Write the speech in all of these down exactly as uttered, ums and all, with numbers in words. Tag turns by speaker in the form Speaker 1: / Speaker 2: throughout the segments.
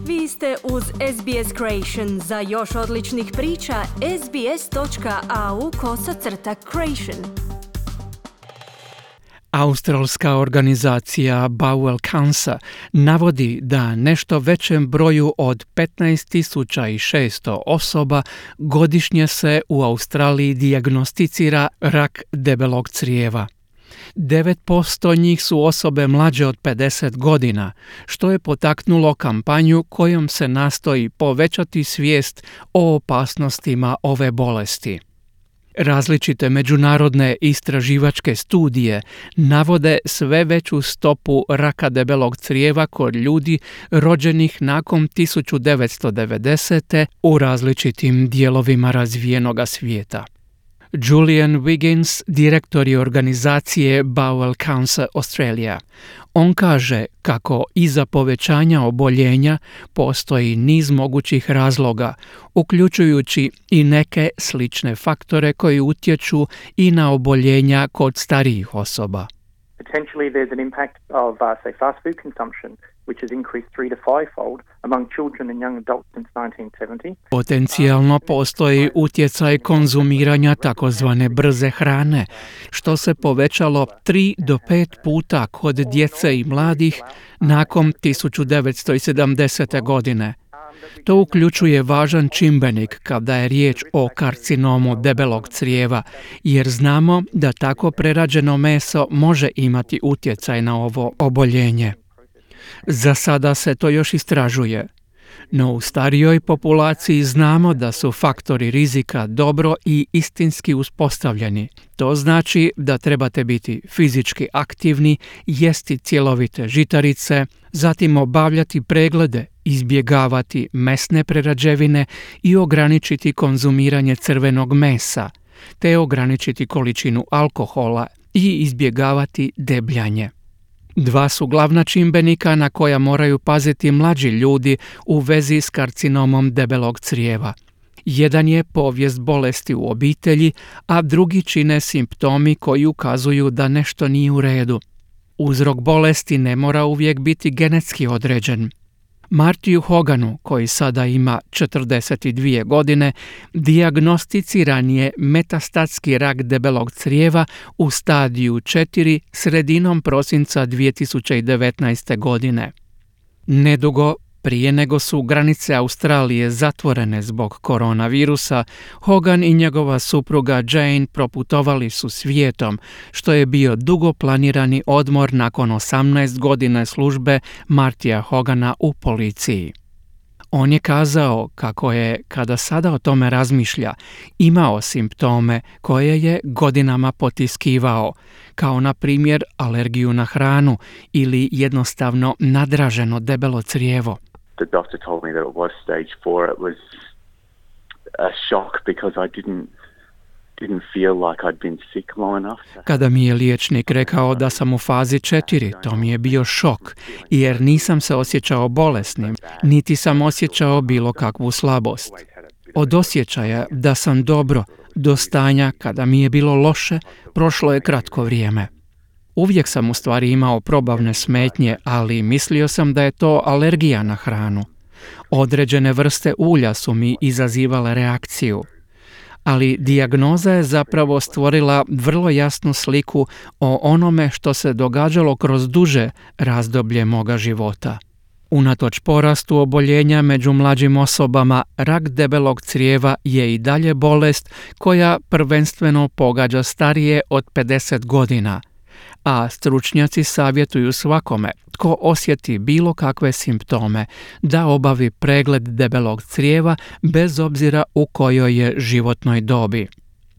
Speaker 1: Vi ste uz S B S Creation. Za još odličnih priča, sbs.au kosacrta creation.
Speaker 2: Australska organizacija Bowel Cancer navodi da nešto većem broju od petnaest tisuća šesto osoba godišnje se u Australiji dijagnosticira rak debelog crijeva. devet posto njih su osobe mlađe od pedeset godina, što je potaknulo kampanju kojom se nastoji povećati svijest o opasnostima ove bolesti. Različite međunarodne istraživačke studije navode sve veću stopu raka debelog crijeva kod ljudi rođenih nakon tisuću devetsto devedesete. u različitim dijelovima razvijenoga svijeta. Julian Wiggins, direktor je organizacije Bowel Cancer Australia. On kaže kako iza povećanja oboljenja postoji niz mogućih razloga, uključujući i neke slične faktore koji utječu i na oboljenja kod starijih osoba.
Speaker 3: Potentially there's an impact of, uh, say, fast food consumption, which has increased three to five-fold among children and young adults since nineteen seventy.
Speaker 2: Potencijalno postoji utjecaj konzumiranja takozvane brze hrane, što se povećalo tri do pet puta kod djece i mladih nakon tisuću devetsto sedamdesete. godine. To uključuje važan čimbenik kada je riječ o karcinomu debelog crijeva, jer znamo da tako prerađeno meso može imati utjecaj na ovo oboljenje. Za sada se to još istražuje, no u starijoj populaciji znamo da su faktori rizika dobro i istinski uspostavljeni. To znači da trebate biti fizički aktivni, jesti cjelovite žitarice, zatim obavljati preglede, izbjegavati mesne prerađevine i ograničiti konzumiranje crvenog mesa, te ograničiti količinu alkohola i izbjegavati debljanje. Dva su glavna čimbenika na koja moraju paziti mlađi ljudi u vezi s karcinomom debelog crijeva. Jedan je povijest bolesti u obitelji, a drugi čine simptomi koji ukazuju da nešto nije u redu. Uzrok bolesti ne mora uvijek biti genetski određen. Martiju Hoganu, koji sada ima četrdeset dvije godine, dijagnosticiran je metastatski rak debelog crijeva u stadiju četiri sredinom prosinca dvije tisuće devetnaeste. godine. Nedugo prije nego su granice Australije zatvorene zbog koronavirusa, Hogan i njegova supruga Jane proputovali su svijetom, što je bio dugo planirani odmor nakon osamnaest godina službe Martija Hogana u policiji. On je kazao kako je, kada sada o tome razmišlja, imao simptome koje je godinama potiskivao, kao na primjer alergiju na hranu ili jednostavno nadraženo debelo crijevo.
Speaker 4: The doctor told me that it was stage four. It was a shock because I didn't didn't feel like I'd been sick long enough.
Speaker 2: Kada mi je liječnik rekao da sam u fazi četiri, to mi je bio šok, jer nisam se osjećao bolesnim, niti sam osjećao bilo kakvu slabost. Od osjećaja da sam dobro do stanja kada mi je bilo loše, prošlo je kratko vrijeme. Uvijek sam u stvari imao probavne smetnje, ali mislio sam da je to alergija na hranu. Određene vrste ulja su mi izazivale reakciju. Ali dijagnoza je zapravo stvorila vrlo jasnu sliku o onome što se događalo kroz duže razdoblje moga života. Unatoč porastu oboljenja među mlađim osobama, rak debelog crijeva je i dalje bolest koja prvenstveno pogađa starije od pedeset godina, a stručnjaci savjetuju svakome tko osjeti bilo kakve simptome da obavi pregled debelog crijeva bez obzira u kojoj je životnoj dobi.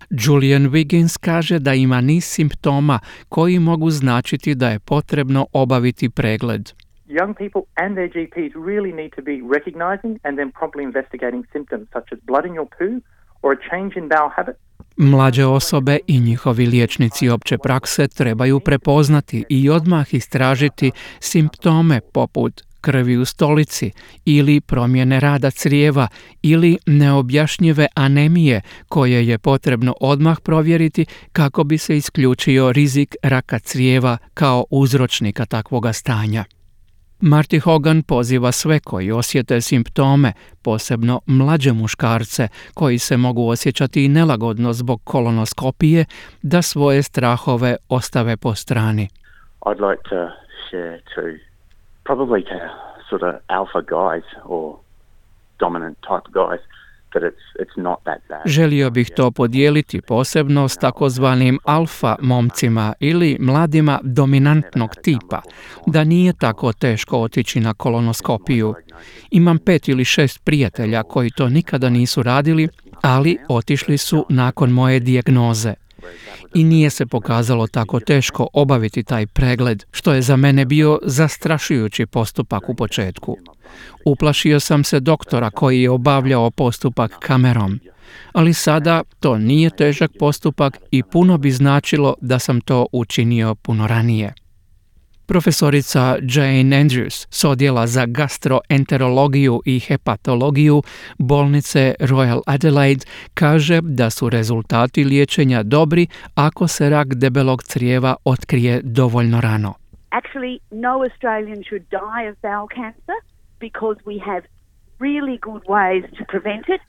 Speaker 2: Julian Wiggins kaže da ima niz simptoma koji mogu značiti da je potrebno obaviti pregled.
Speaker 3: Young people and their G Ps really need to be recognizing and then promptly investigating symptoms such as blood in your poo or a change in bowel habit.
Speaker 2: Mlađe osobe i njihovi liječnici opće prakse trebaju prepoznati i odmah istražiti simptome poput krvi u stolici ili promjene rada crijeva ili neobjašnjive anemije koje je potrebno odmah provjeriti kako bi se isključio rizik raka crijeva kao uzročnika takvoga stanja. Marty Hogan poziva sve koji osjete simptome, posebno mlađe muškarce koji se mogu osjećati nelagodno zbog kolonoskopije, da svoje strahove ostave po strani.
Speaker 4: I'd like to share to probably to sort of alpha guys or dominant type guys that it's it's not that bad.
Speaker 2: Želio bih to podijeliti posebno s takozvanim alfa momcima ili mladima dominantnog tipa, da nije tako teško otići na kolonoskopiju. Imam pet ili šest prijatelja koji to nikada nisu radili, ali otišli su nakon moje dijagnoze. I nije se pokazalo tako teško obaviti taj pregled, što je za mene bio zastrašujući postupak u početku. Uplašio sam se doktora koji je obavljao postupak kamerom, ali sada to nije težak postupak i puno bi značilo da sam to učinio puno ranije. Profesorica Jane Andrews s odjela za gastroenterologiju i hepatologiju bolnice Royal Adelaide kaže da su rezultati liječenja dobri ako se rak debelog crijeva otkrije dovoljno rano.
Speaker 5: Actually, no Australian should die of bowel cancer because we have really good ways to prevent it.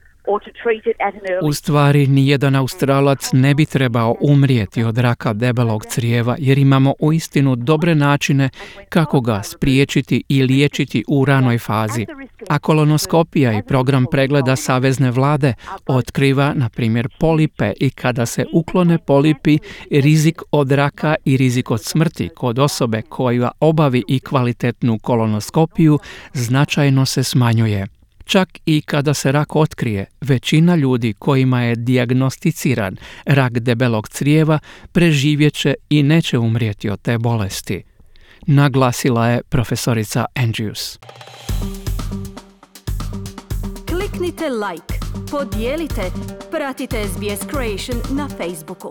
Speaker 2: U stvari, nijedan Australac ne bi trebao umrijeti od raka debelog crijeva jer imamo uistinu dobre načine kako ga spriječiti i liječiti u ranoj fazi. A kolonoskopija i program pregleda Savezne vlade otkriva, na primjer, polipe i kada se uklone polipi, rizik od raka i rizik od smrti kod osobe koja obavi i kvalitetnu kolonoskopiju značajno se smanjuje. Čak i kada se rak otkrije, većina ljudi kojima je dijagnosticiran rak debelog crijeva preživjet će i neće umrijeti od te bolesti, naglasila je profesorica Andrews.
Speaker 1: Kliknite like, podijelite, pratite S B S Creation na Facebooku.